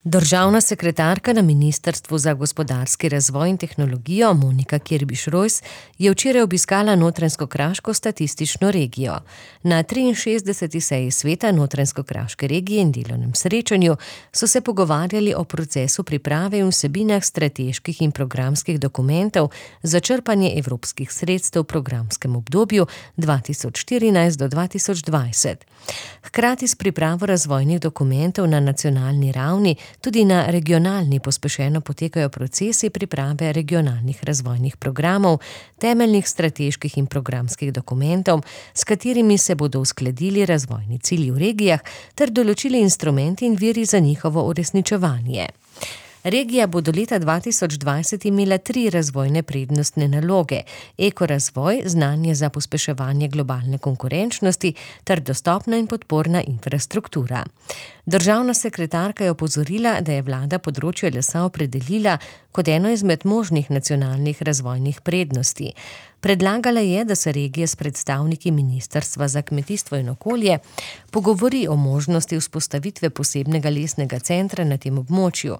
Državna sekretarka na Ministrstvu za gospodarski razvoj in tehnologijo Monika Kirbiš-Rojs je včeraj obiskala Notranjsko-kraško statistično regijo. Na 63. seji sveta Notranjsko-kraške regije in delovnem srečanju so se pogovarjali o procesu priprave in vsebinah strateških in programskih dokumentov za črpanje evropskih sredstev v programskem obdobju 2014 do 2020. Hkrati s pripravo razvojnih dokumentov na nacionalni ravni tudi na regionalni pospešeno potekajo procesi priprave regionalnih razvojnih programov, temeljnih strateških in programskih dokumentov, s katerimi se bodo uskladili razvojni cilji v regijah ter določili instrumenti in viri za njihovo uresničevanje. Regija bo do leta 2020 imela 3 razvojne prednostne naloge: ekorazvoj, znanje za pospeševanje globalne konkurenčnosti ter dostopna in podporna infrastruktura. Državna sekretarka je opozorila, da je vlada področje lesa opredelila kot eno izmed možnih nacionalnih razvojnih prednosti. Predlagala je, da se regija s predstavniki Ministrstva za kmetijstvo in okolje pogovori o možnosti vzpostavitve posebnega lesnega centra na tem območju,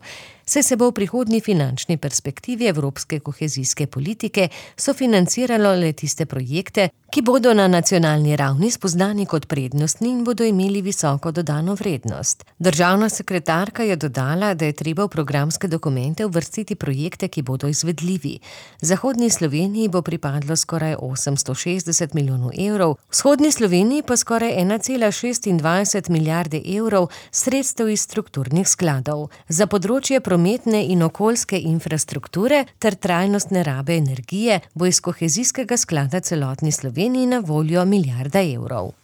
saj se bo v prihodnji finančni perspektivi evropske kohezijske politike sofinanciralo le tiste projekte, ki bodo na nacionalni ravni spoznani kot prednostni in bodo imeli visoko dodano vrednost. Državna sekretarka je dodala, da je treba v programske dokumente uvrstiti projekte, ki bodo izvedljivi. Zahodni Sloveniji bo pripadlo skoraj 860 milijonov evrov, vzhodni Sloveniji pa skoraj 1,26 milijarde evrov sredstev iz strukturnih skladov. Za področje prometne in okoljske infrastrukture ter trajnostne rabe energije bo iz kohezijskega sklada celotni Sloveniji na voljo milijarda evrov.